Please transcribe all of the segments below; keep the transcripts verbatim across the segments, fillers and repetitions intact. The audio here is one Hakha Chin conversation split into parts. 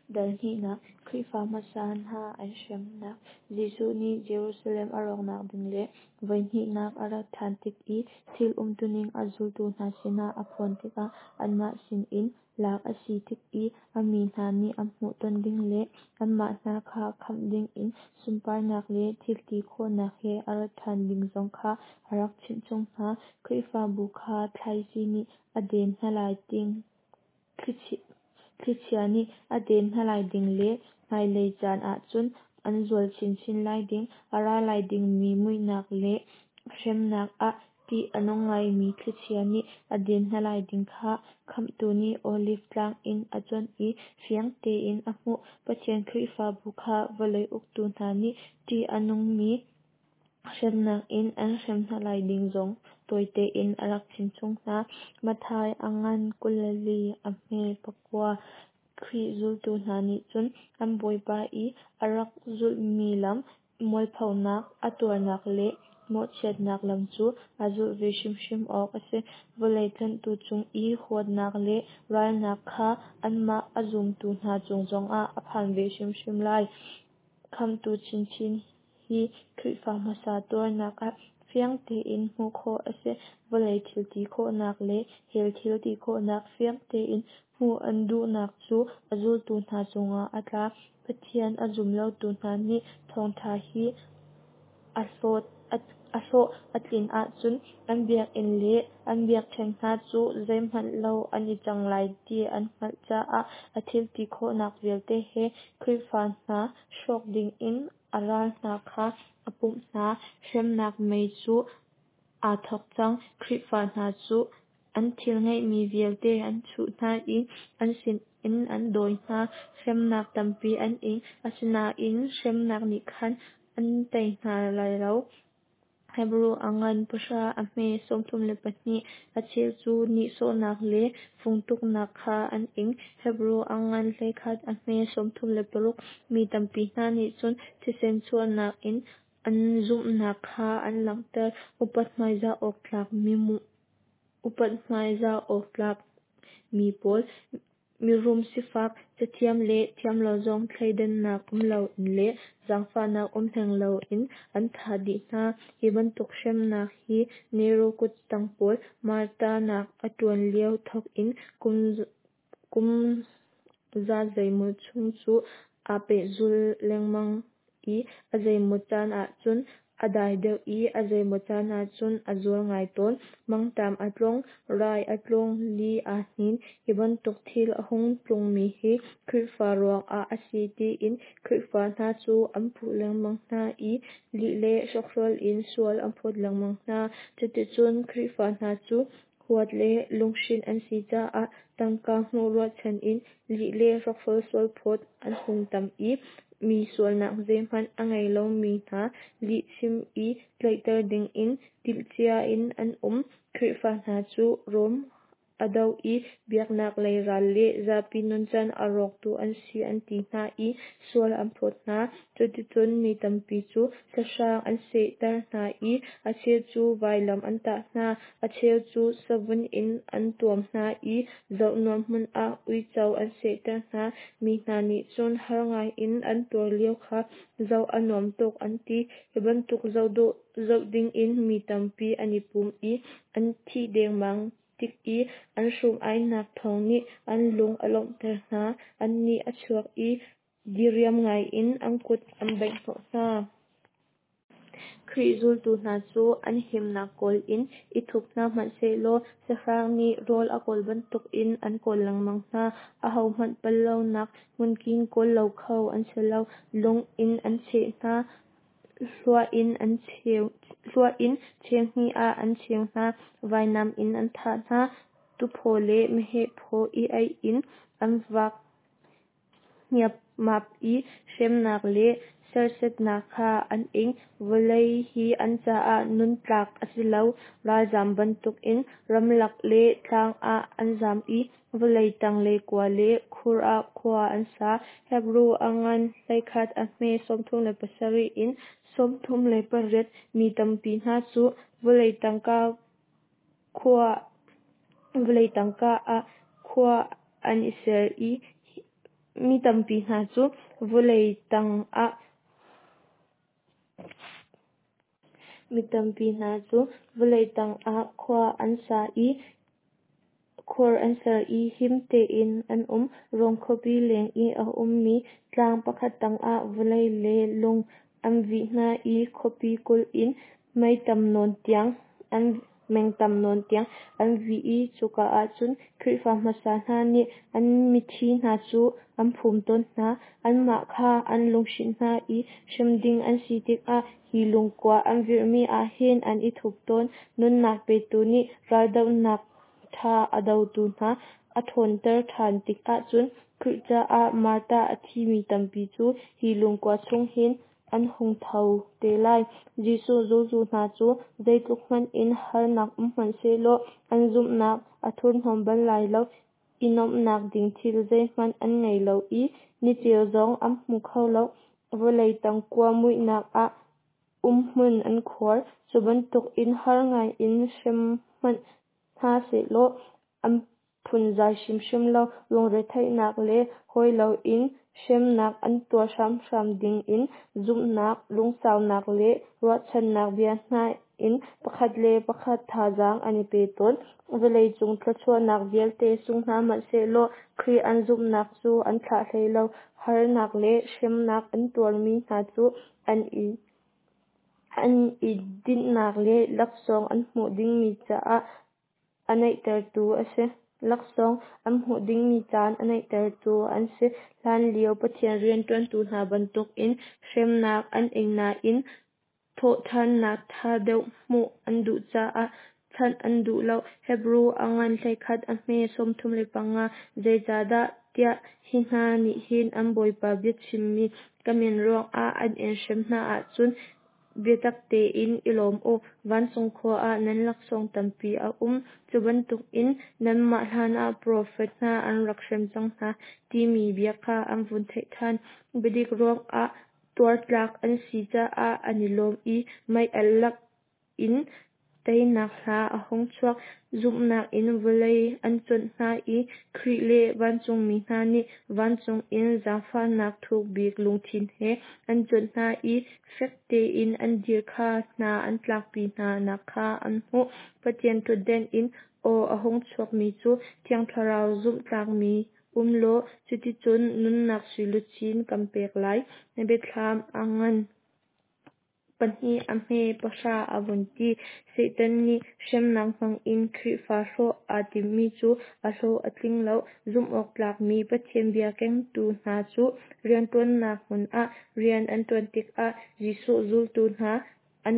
Dal hnihnak Khrihfa hmasa hna an hremnak. Jesuh nih Jerusalem a rawknak ding le voihnihnak a rat ṭhan tik i thil umtuning a zultu hna sinah a phuan tikah anmah sinin lak a si tik i a mi hna nih an hmuhton ding le anmah hna kha khamh dingin sunparnak le thilti khawhnak he a rat ṭhan ding zong kha a rak chimhchung hna. Khrihfabu kha thlaici nih a den hna lai ding Thlichia nih a den hna lai ding le hmailei caan ahcun an zual chinchin lai ding, a ra lai dingmi muihnak le hremnak ah ṭih a nung ngaimi thlichia nih a den hna lai ding kha Khamhtu nih Oliv tlang in a cuanh i fiang tein a hmuh. Pathian Khrihfabu kha vawlei uktu hna nih ṭih a nungmi hremnak in an hrem hna lai ding zong tawi tein a rak chimchung hna. Matthai a ngan kul le li, a hme pakua. Khrih zultu hna nih cun an Bawipa i a rak zulhmi lam, mualphonak a tuarnak le mawhchiatnak lam cu a zulh ve hrimhrim awk a si. Vawlei tlanhtu cung i huatnak le ralnak kha anmah a zumtu hna cung zongah a phan ve hrimhrim lai. Khamhtu chinchin hi Khrihfa hmasa tuarnak ah fiang tein hmuh khawh a si. Vawlei thil ti khawhnak le hell thil ti khawhnak fiang tein hmuh an duhnak cu a zultu hna cungah a tla. Pathian a zum lotu hna nih thawngṭha hi a hlawh a tlin ahcun an biakinn le an biakṭheng hna cu zeihmanh lo an i cang lai ti an hngalh caah a thil ti khawhnak vialte he Khrihfa hna hrawk dingin a ral hna kha a pumh hna. Hremnak mei cu aa thawk cang. Khrihfa hna cu an thil ngeihmi vialte an chuh hna i an sinin an dawi hna. Hremnak tampi an ing, asinain hremnak nih khan an tei hna lai lo. Hebru a ngan pahra, a hme sawmthum le pahnih. A cheu cu nihsawhnak le fungtuknak kha an ing. Hebru a ngan hleikhat, a hme sawmthum le paruk. Mi tampi hna nih cun thisen chuahnak in an zumhnak kha an langhter. Upat hmaizah awk tlak upat hmaizah awk tlak mi pawl, mirum sifak, cathiam le thiamlo zong thleidannak um loin le zaangfahnak um hleng loin an thah dih hna. Hi bantuk hremnak hi Nero kuttang pawl martarnak a ṭuan lio thawk in kum kum za zeimaw chung cu aa pehzul lengmang i a zeimaw caan ahcun a dai deuh i a zeimaw caan ahcun a zual ngai tawn. Mangṭam a tlung, rai a tlung, li aa hnin. Hi bantuk thil a hung tlungmi hi Khrihfa ruangah a si tiin Khrihfa hna cu an puh lengmang hna i lih le hrokhrawl in sual an phawt lengmang hna. Cuticun Khrihfa hna cu huat le lunghrinh an si caah tangka hmuh ruahchan in lih le hrokhrawl sualphawt an hung tam i mi sualnak zeihmanh a ngei lomi hna lihchim i tlaihter dingin timhcia in an um. Khrihfa hna cu Rom a do i biaknak lei ral le zapi nuncan a rawktu an si an ti hna i sual an phawt hna. Cuticun mi tampi cu sahrang an sehter hna i a cheu cu vailam an tah hna, a cheu cu savun in an tuam hna i zohnuam hmun ah uico an sehter hna. Mi hna nih cun har ngaiin an tuar lio kha zoh a nuam tuk an ti. Hi bantuk zoh dawh zoh dingin mi tampi an i pum i an thih dengmang tik i an hrum-ainak thawng nih an lung a lawmhter hna. An nih a chuak i diriam ngaiin an kut an bengh hnawh hna. Khrih zultu hna cu an himnak kawl in i thup hna hmanhsehlaw sahrang nih rawl a kawl bantukin an kawl lengmang hna. Ahohmanh pal lonak hmunking kawl lo kho an si lo. Lung in an cheh hna, hluah in an cheu hluah in cheu hnih ah an cheu hna, vainam in an thah hna, tuphaw le meheh phaw i aih in an vak hniapmap i hremnak le serhsatnak kha an ing. Vawlei hi an caah nun tlak a si lo. Ralzam bantukin ramlak le tlang ah an zam i vawlei tang le kua le khur ah khua an sa. Hebru a ngan hleikhat, a hme sawmthum le pasarih in sawmthum le pariat. Mi tampi hna cu vawlei tangka khua vawlei tangka ah khua an i ser i Mi tampi hna cu vawlei tang ah Mi tampi hna cu vawlei tang ah khua an sa i khur an ser i him tein an um. Rom khuapi leng i a ummi tlang pakhat tangah vawlei le lung an vih hna i khuapi kulh in mei tam nawn tiang an meng tam nawn tiang an vih i cuka ah cun Khrihfa hmasa hna nih an mithi hna cu an phum tawn hna. Anmah kha an lunghrinh hna i hrem ding an si tikah hi lungkua an virhmi ah hin an i thup tawn. Nunnak petu nih raldohnak ṭha a dotu hna a ṭhawnter ṭhan tikah cun Khrih caah martar a thimi tampi cu hi lungkua chung hin an hung tho te lai. Jesuh zultu hna cu zeitluk hmanh in harnak um hmanhsehlaw an zumhnak a thurhnawm bal lai lo. I nuamhnak ding thil zeihmanh an ngei lo i niceu zong an hmu kho lo. Vawlei tang kua muihnak ah umhmun an khuar. Cu bantukin har ngaiin hrem hmanh hna sehlaw an phunzai hrimhrim lo. Lungretheihnak le hawi loin hremnak an tuar hramhram ding in zumhnak, lungsaunak le ruahchannak bia hna in pakhat le pakhat thazaang an i pe tawn. Vawleicung thluachuahnak vialte sung hna hmanhsehlaw Khrih an zumhnak cu an thlah hlei lo. Harnak le hremnak an tuarmi hna cu an i an i dinhnak le laksawng an hmuh dingmi caah a naihtertu a si. Laksawng an hmuh dingmi caan a naihtertu an si. Hlanlio Pathian rianṭuantu hna bantukin hremnak an ing nain thawhṭhannak ṭha deuh hmuh an duh caah chanh an duh lo. Hebru a ngan hleikhat a hme sawmthum le panga. Zeicahdah tiah hi hna nih hin an Bawipa biachimmi ka min ruangah an in hrem hna ahcun biatak tein i lawm u. Vancung khua ah nan laksawng tampi a um. Cu bantukin nanmah hlanah profet hna an rak hrem cang hna timi bia kha an vun theih ṭhan. Biadik ruangah tuartlak an si caah an i lawm i mei-alh lak in teinak hla a hung chuak. Zumhnak in vawlei an cuanh hna i Khrih le vancungmi hna nih vancung in zaangfahnak thuk bik lungthin he an cuanh hna i fek tein an dir kha hna an tlakpi hna nak kha an hmuh. Pathian ṭhutden in aw a hung chuakmi cu Thiang Thlarau zumhtlakmi um law cuticun nunnak suiluchin kan pek lai. Na biathlam a ngan pahnih a hme pahra a vun ti. Satan nih hremnak hmangin Khrihfa hrawh aa timmi cu a hlawh a tling lo. Zumhawktlakmi Pathian bia kengtu hna cu rianṭuannak hmun ah rian an ṭuan tikah Jesuh zultu hna an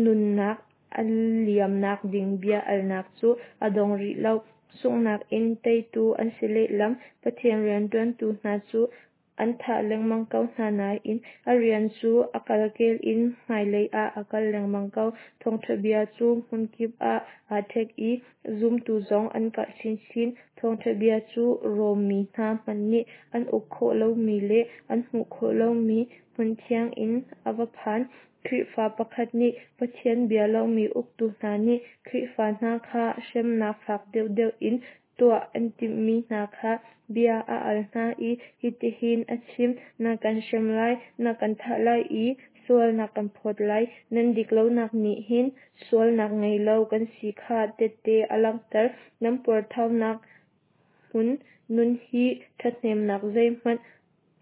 nunnak a liamnak ding bia alnak cu a dong rih lo. Sunghnak in teitu an si lehlam. Pathian rianṭuantu hna cu an thah lengmang ko hna nain a rian cu a kalkel in hmailei ah a kal lengmang ko. Thawngṭha bia cu hmunkip ah aa ṭhek i zumtu zong an karh chinchin. Thawngṭha bia cu Rom mi hna hmanh nih an uk khawh lomi le an hmuh khawh lomi hmun thiang in a va phan. Khrihfa pakhat nih Pathian bia lomi uktu hna nih Khrihfa hna kha hremnak fak deuhdeuh in tuah an timhmi hna kha bia a al hna i hitihin a chim: Na kan hrem lai, na kan thah lai i sual na kan phawt lai. Nan dik lonak nih hin sualnak ngei lo kan si kha tehte a langhter. Nan puarthaunak hmun nun hi ṭhathnemnak zeihmanh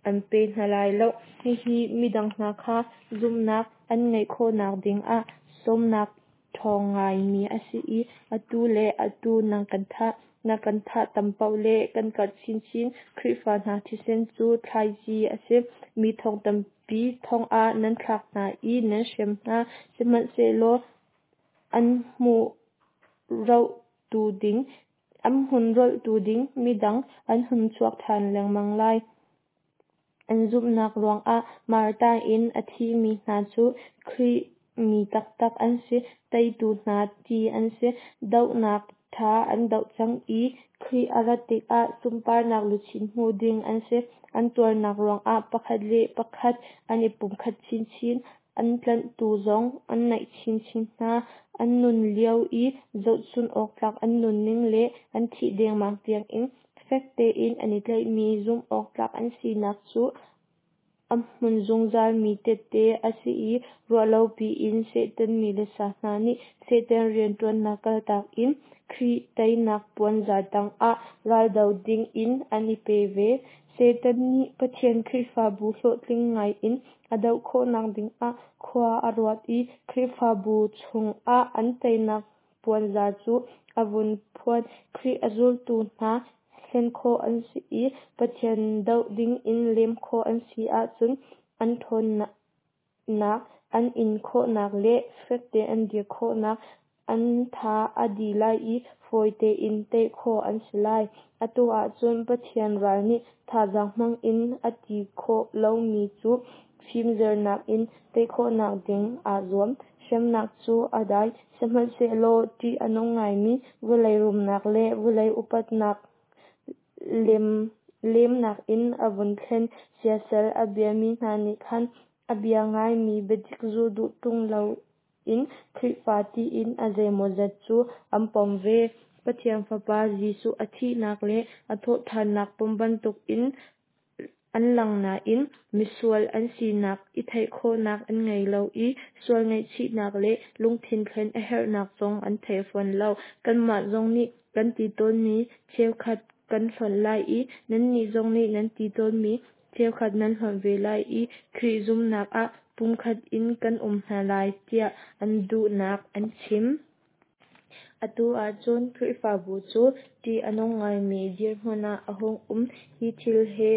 an pe hna lai lo. Hihi midang hna kha zumhnak an ngeih khawhnak dingah sawmnak ṭhawng ngaimi a si i atu le atu nan kan thah. Na kan thah tam paoh le kan karh chinchin. Khrihfa hna thisen cu thlaici a si. Mi thong tampi thong ah nan thlak hna i nan hrem hna. Sihmanhsehlaw an hmuh rohtu ding an hmun rolhtu ding midang an hun chuak ṭhan lengmang lai. An zumhnak ruangah martar in a thimi hna cu Khrih mi taktak an si, teitu hna ti an si. Dohnak ṭha an doh cang i Khrih a rat tikah sunparnak luchin hmu ding an si. An tuarnak ruangah pakhat le pakhat an i pumkhat chinchin, an tlanhtu zong an naih chinchin hna. An nun lio i zohchun awk tlak an nunning le an thih dengmang tiangin Fek tein an i tlaihmi zumhawktlak an sinak cu a hmun zungzalmi tehte a si i ruahlopi in Satan mi le sa hna nih Satan rianṭuannak kaltak in Khrih teinak puanzar tangah raldo dingin an i pe ve. Satan nih Pathian Khrihfabu hlawhtling ngaiin a doh khawhnak dingah khua a ruat i Khrihfabu chungah an teinak puanzar cu a vun phuan. Khrih a zultu hna hlen khawh an si i Pathian doh dingin lem khawh an si ahcun an ṭhawnnak, an in khawhnak le fek tein an dir khawhnak an tha a di lai i fawi tein tei khawh an si lai. Atu ahcun Pathian ral nih thazaang hmang in a ti khawh lomi cu fimzernak in tei khawhnak ding aa zuam. Hremnak cu a dai, sihmanhsehlaw ṭih a nung ngaimi vawlei rumnak le vawlei upatnak lemnak in a vun thlen. Siasal a biami hna nih khan a bia ngaimi biadik zul duh ṭung loin Khrihfa tiin a zeimawzat cu an pom ve. Pathian Fapa Jesuh a thihnak le a thawhṭhannak pom bantukin an lang nain misual an sinak i theih khawhnak an ngei lo i sual ngaihchihnak le lungthin thlen a herhnak zong an thei fawn lo. Kanmah zong nih kan ti tawnmi cheukhat kan hlonh lai i nannih zong nih nan ti tawnmi cheukhat nan hlonh ve lai i Khrih zumhnak ah pumkhat in kan um hna lai tiah an duhnak an chim. Atu ahcun Khrihfabu cu ṭih a nung ngaimi dirhmun ah a hung um. Hi thil he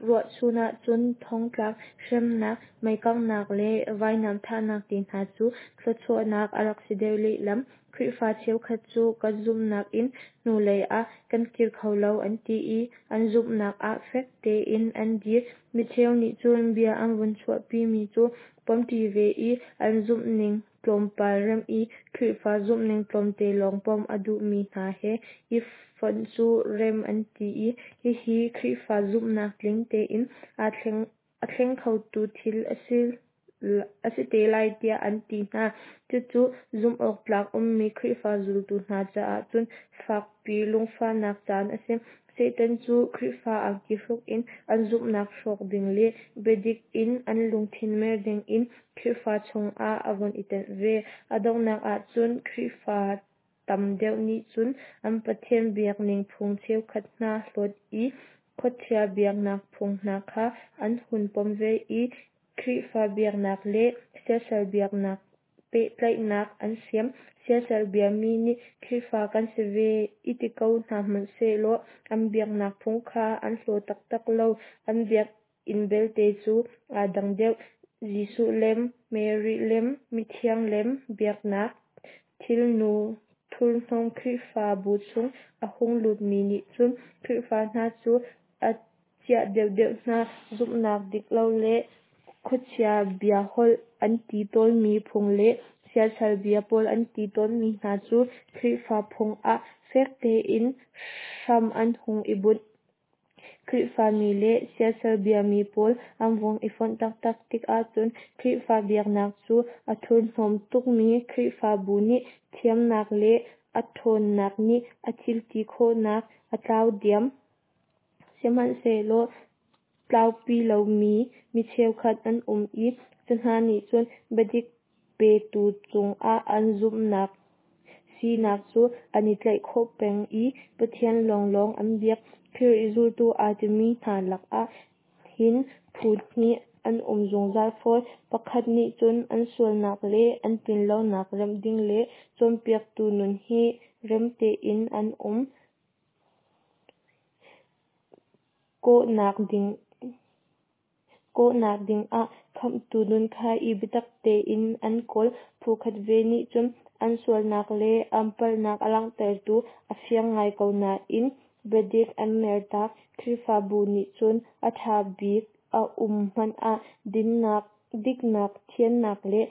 ruahchun ahcun thongtlak, hremnak, meikanghnak le vainam thahnak te hna cu thluachuahnak a rak si deuh lehlam. Khrihfa cheukhat cu kan zumhnak in hnulei ah kan kir kho lo an ti i an zumhnak ah fek tein an dir. Micheu nih cun bia an vun chuahpimi cu pomṭi ve i an zumhning tlawmpal remh i Khrihfa zumhning tlawmte lawng pom a duhmi hna he i fonh cu rem an ti i hihi Khrihfa zumhnak tling tein a thleng khotu thil a si te lai tiah an ti hna. Cucu zumhawktlak ummi Khrihfa zultu hna caah cun fakpi lungfahnak caan a si. Satan cu Khrihfa angki hruk in an zumhnak hrawk ding le biadik in an lungthin mer dingin Khrihfa chungah a vun i tenh ve. A donghnak ahcun Khrihfa tam deuh nih cun an Pathian biakning phung cheukhat hna hlawt i khuachia biaknak phung hna kha an hun pom ve i Khrihfa biaknak le siasal biaknak pehtlaihnak an siam. Siasal biami nih Khrihfa kan si ve i ti ko hna hmanh sehlaw an biaknak phung kha an hlaw taktak lo. An biakinn belte cu aa dang deuh. Jesuh lem, Mary lem, mithiang lem biaknak thilnu thurhnawm Khrihfabu chung a hung lutmi nih cun Khrihfa hna cu a ciah deuhdeuh hna. Zumhnak dik lo le khuachia biaholh an ti tawnmi phung le siasal bia pawl an ti tawnmi hna cu Khrihfa phung ah fek tein hram an hung i bunh. Khrihfami le siasal biami pawl an vung i fonh taktak tik ahcun Khrihfa biaknak cu a thurhnawm tukmi Khrihfabu nih thiamnak le a ṭhawnnak nih a thil ti khawhnak a tlau diam. Sihmanhsehlaw tlaupi lomi mi cheukhat an um i cu hna nih cun biadik petu cungah an zumhnak sinak cu an i tlaih khawh peng i Pathian lawnglawng an biak. Khrih zultu aa timi hna lakah hin phu hnih an um zungzal fawn. Pakhat nih cun an sualnak le an tlinlonak remh ding le cawnpiaktu nun hi rem tein an um kawhnak ding kawhnak dingah khamhtu nun kha i biatak tein an kawl. Phu khat ve nih cun an sualnak le an palhnak a langhtertu a fiang ngai ko nain biadik an mertak. Khrihfabu nih cun a ṭha bik a um hmanh ah dinnak, diknak, thiannak le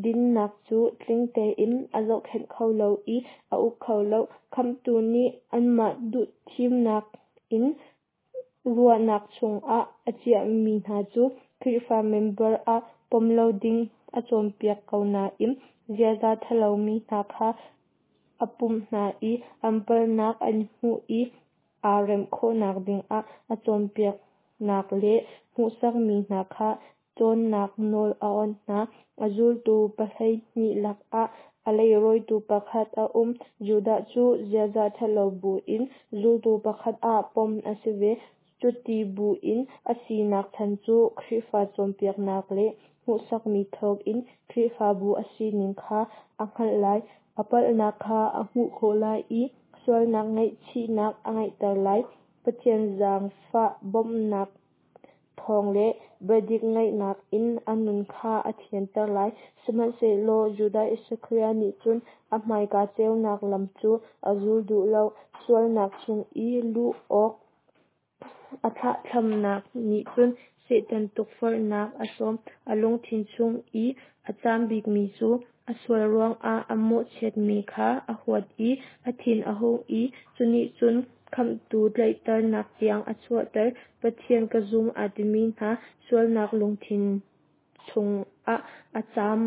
dinnak cu tling tein a zohkhenh kho lo i a uk kho lo. Khamhtu nih anmah duhthimnak in ruahnak chungah a chiahmi hna cu Khrihfa member ah pom lo ding a cawnpiak ko nain ziaza ṭhalomi hna kha a pumh hna i an palhnak an hmuh i aa remh khawhnak dingah a cawnpiaknak le hmuhsakmi hna kha cawnnak nawl a awnh hna. A zultu pahleihnih lakah a leirawitu pakhat a um. Judas cu ziaza ṭhalo buin zultu pakhat ah pom a si ve. Cuti buin a sinak chan cu Khrihfa cawnpiaknak le hmuhsakmi thawngin Khrihfabu a sining kha a hngalh lai. A palhnak kha a hmuh khawh lai i sualnak ngaihchihnak a ngeihter lai. Pathian zaangfah bawmhnak thawng le biadik ngaihnak in a nun kha a thianter lai. Sihmanhsehlaw Judas Iskariot nih cun a hmaika ceunak lam cu a zul duh lo. Sualnak chung i luh awk a thlahthlamnak nih cun Satan tukforhnak a sawm. A lungthin chung i a caam bikmi cu a sual ruangah a mawhchiatmi kha a huat i a thin a hung i cunih cun Khamhtu tlaihternak tiang a chuahter. Pathian ka zum aa timi hna sualnak lungthin chungah a caam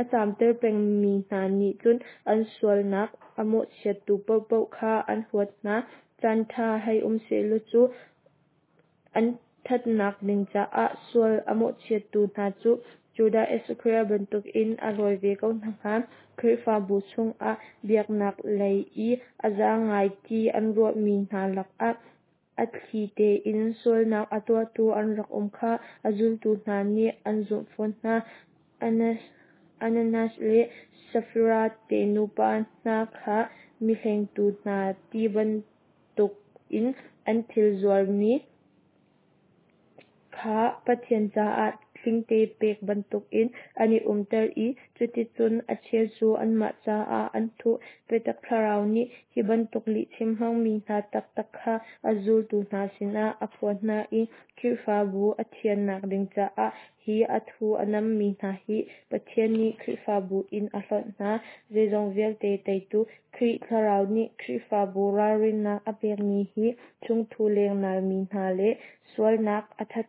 a caamter pengmi hna nih cun an sualnak a mawhchiattu paohpaoh kha an huat hna. Caan ṭha hei um sehlaw cu an ṭhatnak ding caah sual a mawhchiattu hna cu Judas Iskariot bantukin a rawi ve ko hna hnga. Khrihfabu chungah biaknak lei i a za ngai ti an ruahmi hna lakah a thli tein sualnak a tuahtu an rak um kha a zultu hna nih an zumh fawn hna. Ananias le Safira te nupa hna kha mihlengtu hna ti bantukin an thil zuarmi kha Pathian caah tlingte pek bantukin an i umter i cuticun a cheu cu anmah caah an thuh. Biatak Thlarau nih hi bantuk lihchim hmangmi hna taktak kha a zultu hna sinah a phuan hna i Khrihfabu a thiannak ding caah hi a thu a nammi hna hi Pathian nih Khrihfabu in a hlonh hna. Zeizong vialte teitu Khrih Thlarau nih Khrihfabu ralrinnak a pekmi hi chungthu lengnalmi hna le sualnak a that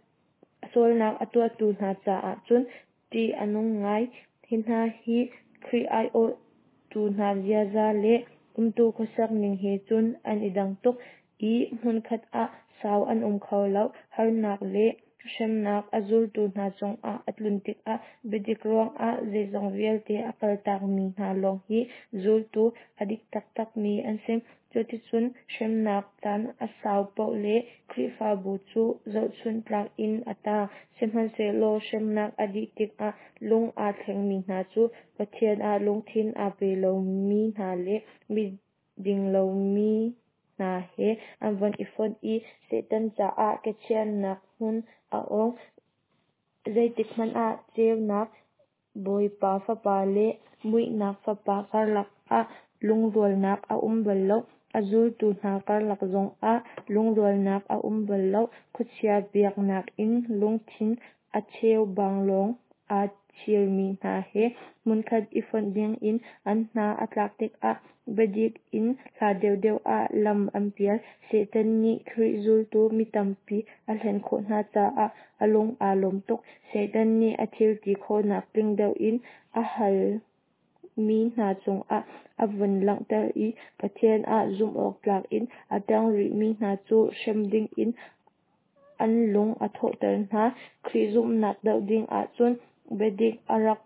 sualnak a tuahtu hna caah cun ṭih a nung ngai. Hi hna hi Khrih aiawhtu hna ziaza le umtu khuasak ning he cun an i dang tuk i hmunkhat ah sau an um kho lo. Harnak le hremnak a zultu hna cungah a tlun tikah biadik ruangah zeizong vialte a kaltakmi hna lawng hi zultu a dik taktakmi an si. Cuticun hremnak caan a sau paoh le Khrihfabu cu zohchunh tlak in a tang. Sihmanhsehlaw hremnak a dih tikah lung aa thlengmi hna cu Pathian ah lungthin aa pe lomi hna le miding lomi hna he an von i fonh i Satan caah kechiahnak hmun a ong. Zeitikhmanh ah ceunak Bawipa fapa le muihnak fapa karlak ah lungrualnak a um bal lo. A zultu hna karlak zongah lungrualnak a um bal lo. Khuachia biaknak in lungthin a cheubang lawng aa chirmi hna he hmunkhat i fonh dingin an hna a tlak tikah biadik in hla deuhdeuh ah lam an pial. Satan nih Khrih zultu mi tampi a hlen khawh hna caah a lung aa lawm tuk. Satan nih a thil ti khawhnak tling deuh in a halmi hna cungah a vun langhter i Pathian ah zumhawktlak in a tang rihmi hna cu hrem dingin an lung a thawhter hna. Khrih zumhnak doh ding ahcun biadik a rak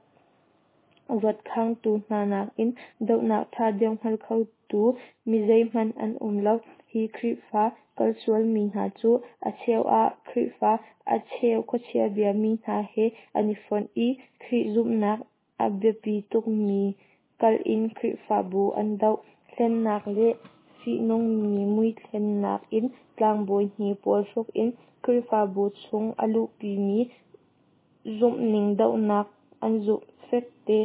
ruatkhangtu hna nakin dohnak ṭha deuh hngal khotu mi zeihmanh an um lo. Hi Khrihfa kalsualmi hna cu a cheu ah Khrihfa, a cheu khuachia biami hna he an i fonh i Khrih zumhnak a biapi tukmi kalh in Khrihfabu an doh. Hlennak le fihnungmi muithlennak in tlangbawi hnipuan hruk in Khrihfabu chung a luhpimi zumhning dohnak an zumh fekte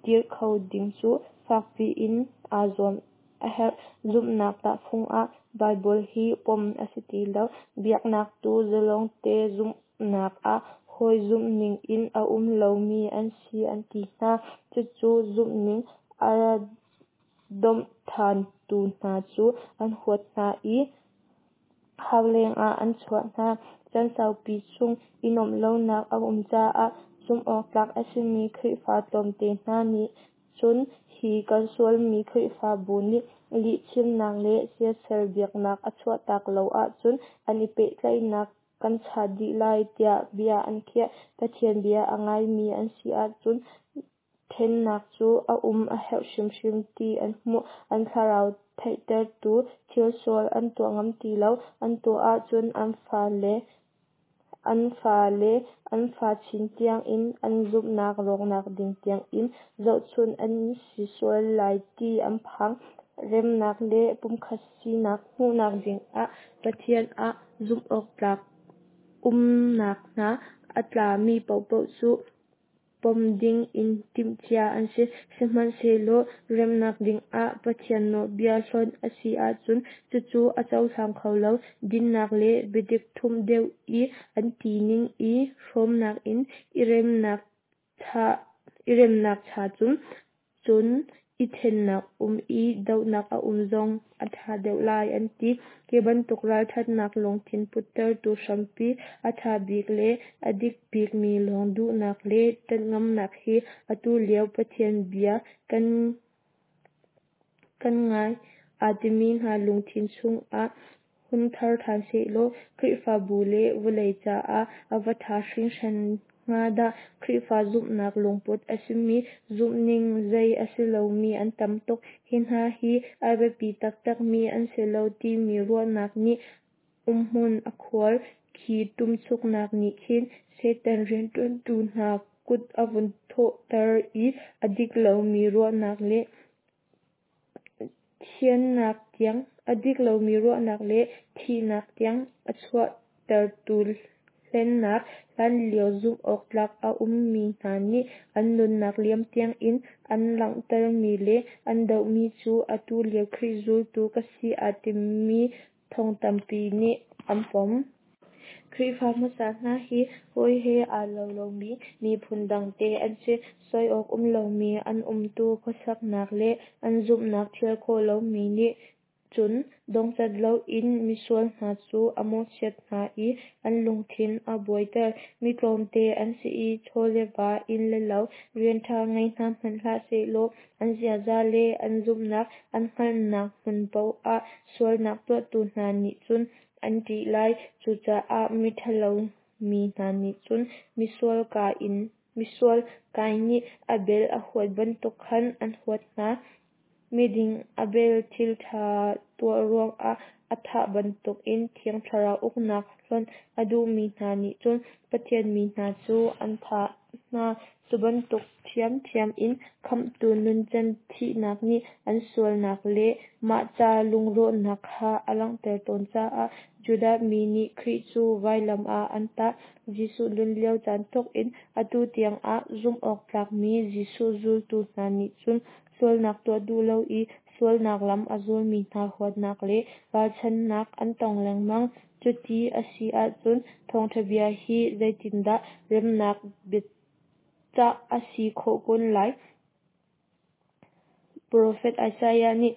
dir kho ding cu fakpi in aa zuam a herh. Zumhnak tahfung ah Baibal hi pom a si ti lo. Biaknak tu zalongte zumhnak ah hawi zumhning in a um lomi an si an ti hna. Cucu zumhning a domhthantu hna cu an huat hna i hauleng ah an chuah hna. Chan saupi chung i nuamh lonak a um caah zumhawktlak a simi Khrihfa tlawmte hna nih cun hi kalsualmi Khrihfabu nih Lihchimnak le siasal biaknak a chuahtak lo ahcun an i pehtlaihnak kan chat dih lai tiah bia an khiah. Pathian bia a ngaimi an si ahcun thennak cu a um a herh hrimhrim ti an hmuh. An thlarau thihtertu thil sual an tuah ngam ti lo. An tuah ahcun an fale an fale an fa chin tiang in an zumhnak rawknak ding tiang in zohchunh an si sual lai ti an phang. Remnak le pumkhat sinak hmuhnak dingah Pathian ah zumhawktlak umnak hna a tlami paohpaoh cu pom ding in timhcia an si. Sihmanhsehlaw remnak dingah Pathian nawlbia hlonh a si ahcun cucu a cohlang kho lo. Dinnak le biadik thumh deuh i an tining i hrawmnak in i remnak cha cun cun i thennak um i dohnak a um zong a tha deuh lai an ti. Hi bantuk ralthatnak lungthin puttertu hrampi a tha bik le a dik bikmi lawng duhnak le tanh ngamnak hi atu lio Pathian bia kan kan ngai aa timi hna lungthin chungah hun thar than sehlaw Khrihfabu le vawlei caah a va tha hringhran hnga dah. Khrihfa zumhnak lungput a simi zumhning zei a si lomi an tam tuk. Hi hna hi a biapi taktakmi an si lo timi ruahnak nih umhmun a khuar. Khi tumchuknak nih khin Satan riantuantu hna kut a vun thawhter i a dik lomi ruahnak le thiannak tiang a dik lomi ruahnak le thihnak tiang a chuahtertu hlennak, hlanlio zumhawktlak a ummi hna nih an nunnak liam tiangin an langhtermi le an dohmi cu atu lio Khrih zultu ka si aa timi thong tampi nih an pom. Khrihfa hmasa hna hi hawi he aa lo lomi miphun dangte an si. Soi awk um lomi an umtu khuasaknak le an zumhnak thial khawh lomi nih cun dongcat loin misual hna cu a mawhchiat hna i an lungthin a buaiter. Mi tlawmte an si i chaw le va, inn le lo, rian ṭha ngei hna hmanh hlah sehlaw an ziaza le an zumhnak an hngalhnak hmun paoh ah sualnak tuahtu hna nih cun an ṭih lai. Cucaah miṭhalo mi hna nih cun misual Kain misual Kain nih Abel a huat bantuk khan an huat hna. Miding Abel thil ṭha tuah ruangah a thah bantukin Thiang Thlarau uknak hlonh a duhmi hna nih cun Pathian mi hna cu an thah hna. Cu bantuk ṭhiamṭhiam in Khamhtu nuncan thihnak nih an sualnak le mah ca lungrawhnak kha a langhter tawn caah Judah mi nih Khrih cu vailam ah an tah. Jesuh nun lio caan thawk in atu tiangah zumhawktlakmi Jesuh zultu hna nih cun sualnak tuah duh lo i sualnak lam a zulmi hna huatnak le ralchanhnak an tong lengmang. Cuti a si ahcun thawngṭha bia hi zeitindah remnak biacah a si khawh kun lai? Profet Isaiah nih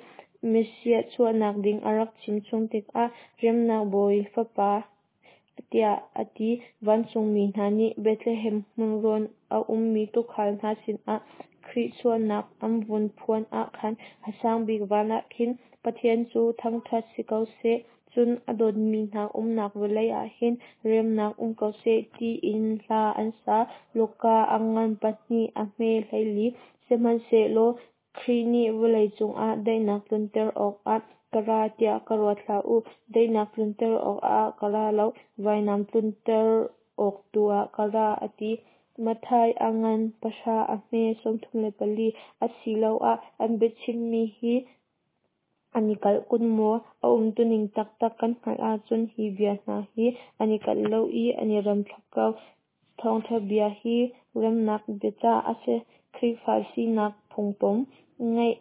Messiah chuahnak ding a rak chimchung tikah remnak bawi fapa tiah a ti. Vancungmi hna nih Bethlehem hmunrawn a ummi tuukhal hna sinah Khrih chuahnak an vun phuan ah khan a sang bik van ah khin Pathian cu thangṭhat si ko seh, cun a dawtmi hna umnak vawlei ah hin remnak um ko seh tiin hla an sa. Luka a ngan pahnih a hme hleili. Sihmanhsehlaw Khrih nih vawlei cungah daihnak tlunter awkah ka ra tiah ka ruat hlah u. Daihnak tlunter awkah ka ra lo, vainam tlunter awk tu ah ka ra, a ti. Matthai a ngan pahra a hme sawmthum le pali. Asiloah an biachimmi hi an i kalh kun maw? A umtuning taktak kan hngalh ahcun hi bia hna hi an i kalh lo i an i rem thlap ko. Thawngṭha bia hi remnak biacah a si. Khrihfa sinak phungpom ngeih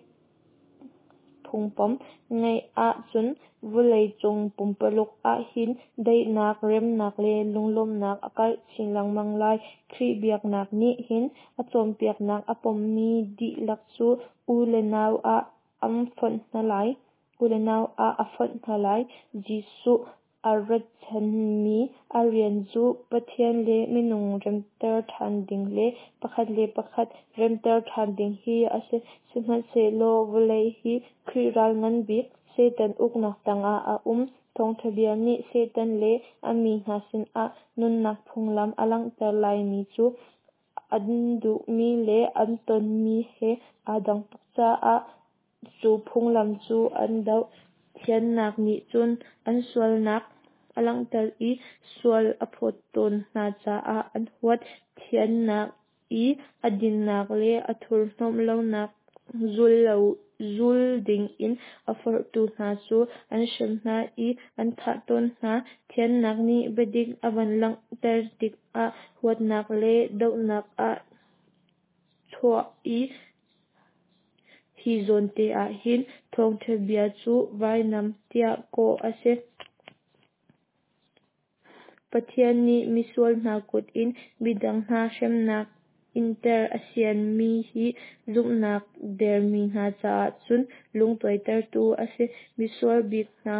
phungpom ngeih ahcun vawleicung pumpaluk ahhin daihnak, remnak le lunglawmhnak a karh chin lengmang lai. Khrih biaknak nih hin a cawnpiaknak a pommi dihlak cu u le nau ah an fonh hna lai. U le nau ah a fonh hna lai. Jesuh A ratchanmi a rian cu Pathian le minung remter ṭhan ding le pakhat le pakhat remter ṭhan ding hi a si. Sihmanhsehlaw vawlei hi Khrih ral nganbik Satan uknak tangah a um. Thawngṭha bia nih Satan le a mi hna sinah nunnak phunglam a langhter laimi cu an duhmi le an tonmi he aa dang tuk caah cu phunglam cu an doh. Thiannak nih cun an sualnak a langhter i sual a phawt tawn hna caah an huat. Thiannak i a dinnak le a thurhnawmh lonak zul lo zul dingin a forhtu hna cu an hrem hna i an thah tawn hna. Thiannak nih biadik a van langhter tikah huatnak le dohnak a chuah i hi zawnte ah hin thawngṭha bia cu vainam tiah kawh a si. Pathian nih misual hna kut in midang hna hremnak inter a sianmi hi zumhnak dermi hna caah cun lungtuaitertu a si. Misual bik hna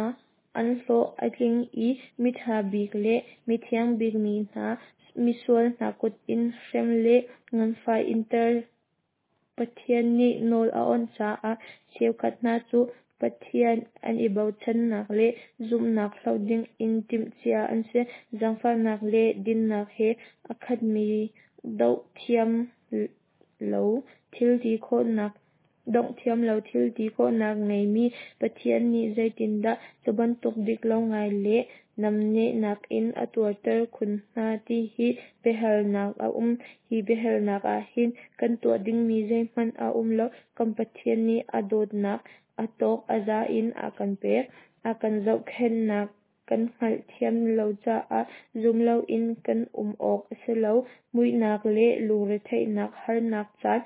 an hlawh a tling i miṭha bik le mithiang bikmi hna misual hna kut in hrem le nganfah inter Pathian nih nawl a awnh caah cheukhat hna cu Pathian an i bochannak le zumhnak hloh dingin timhcia an si. Zaangfahnak le dinnak he a khatmi doh thiam lo thil ti khawhnak dongh thiam lo thil ti khawhnak ngeimi Pathian nih zeitindah cu bantuk dik lo ngai le namnehnak in a tuarter khun hna ti hi biahalnak a um. Hi biahalnak ah hin kan tuah dingmi zeihmanh a um lo. Kan Pathian nih a dawtnak a tawk a za in a kan pek. A kan zohkhenhnak kan hngalhthiam lo caah zum loin kan um awk a si lo. Muihnak le lungretheihnak harnak caan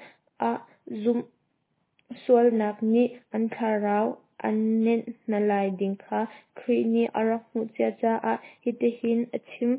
ah zumh sualnak nih an thlarau an nenh hna lai ding kha Khrih nih a rak hmuh cia caah hitihin a chim: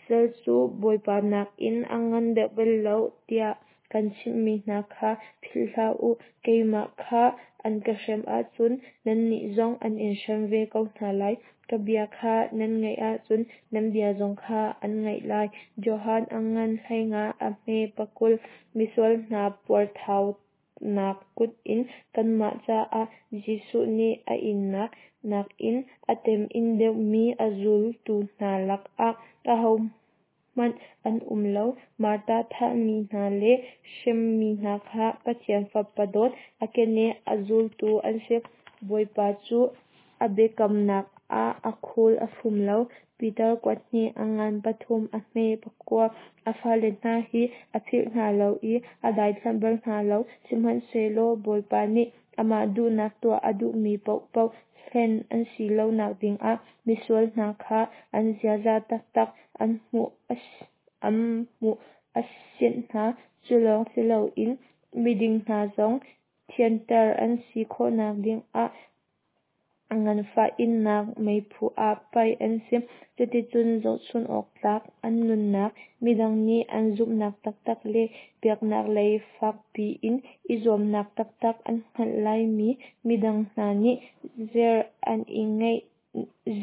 Sal cu bawipa nakin a ngan deuh bal lo tiah kan chimhmi hna kha philh hlah u. Keimah kha an ka hrem ahcun nannih zong an in hrem ve ko hna lai. Ka bia kha nan ngaih ahcun nan bia zong kha an ngaih lai. Johan a ngan hleinga a hme pakul. Misual hna puarthaunak kut in kanmah caah Jesuh nih a innak nakin a temin deuhmi a zultu hna lakah ahohmanh an um lo. Martar thahmi hna le hremmi hna kha Pathian Fapa dawt a keneh a zultu an si. Bawipa cu a biakamnak ah a khul a fum lo. Peter kuathnih a ngan pathum a hme pakua. A fale hna hi a philh hna lo i a daithlanh bal hna lo. Sihmanhsehlaw Bawipa nih amah duhnak tuah a duhmi paohpaoh hlen an si lonak dingah misual hna kha an ziaza taktak an hmuh an hmuh a sianh hna. Cu lawng si loin miding hna zong thianter an si khawhnak dingah nganfah innak meiphu ah paih an si. Cuticun zohchun awk tlak an nunnak, midang nih an zumhnak taktak le biaknak lei fakpi in i zuamnak taktak an hngalh laimi midang hna nih zer an i ngeih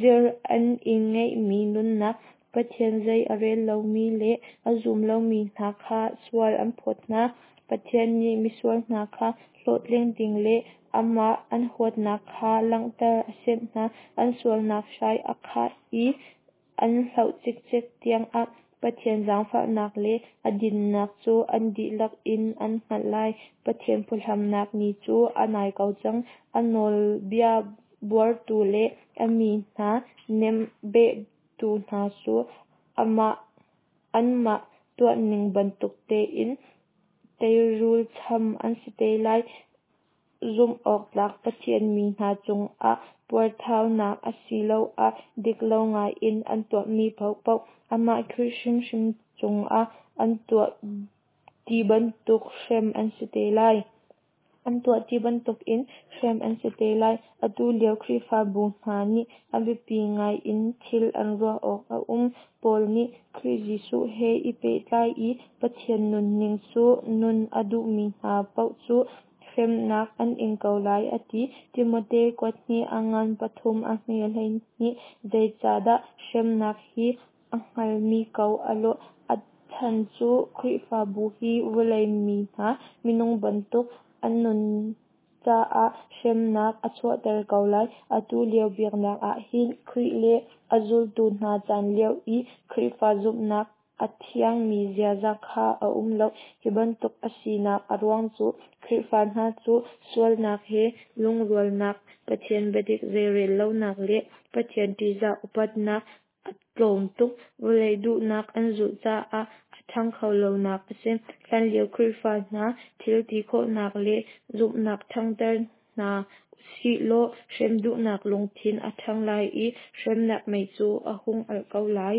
zer an i ngeihmi nunnak, Pathian zei a rel lomi le a zum lomi hna kha sual an phawt hna. Pathian nih misual hna kha hlawhtling ding le amah an huatnak kha langhter a sianh hna. An sualnak hrai a khah i an hloh cikcek tiangah Pathian zaangfahnak le a dinnak cu an dihlak in an hngalh lai. Pathian phuhlamnak ni cu a nai ko cang. A nawlbia buartu le a mi hna nemnehtu hna cu amah anmah tuahning bantuk tein teirul cham an si te lai. Zumh awk tlak Pathian mi hna cungah puarthaunak asiloah dik lo ngaiin an tuahmi paohpaoh amah Khrih hrimhrim cungah an tuah ti bantuk hrem an si te lai. An tuah ti bantukin hrem an si te lai. Atu lio Khrihfabu hna nih a biapi ngai in thil an ruah awk a um. Paul nih Khrih Jesuh he i pehtlai i Pathian nunning cu nun a duhmi hna paoh cu hremnak an ing ko lai a ti. Timote kuathnih a ngan pathum a hme hleihnih. Zeicahdah hremnak hi a hngalmi ko a lawh? A chan cu Khrihfabu hi vawlei mi hna minung bantuk an nun caah hremnak a chuahter ko lai. Atu lio biaknak ah hin Khrih le a zultu hna caan lio i Khrihfa zumhnak a thiangmi ziaza kha a um lo. Hi bantuk a sinak a ruang cu Khrihfa hna cu sualnak he lungrualnak, Pathian biadik zeirel lonak le Pathian ṭihzah upatnak a tlawm tuk, vawlei duhnak an zulh caah a ṭhang kho lonak a si. Hlanlio Khrihfa hna thil ti khawhnak le zumhnak ṭhangter hna usihlaw hrem duhnak lungthin a ṭhang lai i hremnak mei cu a hung alh ko lai.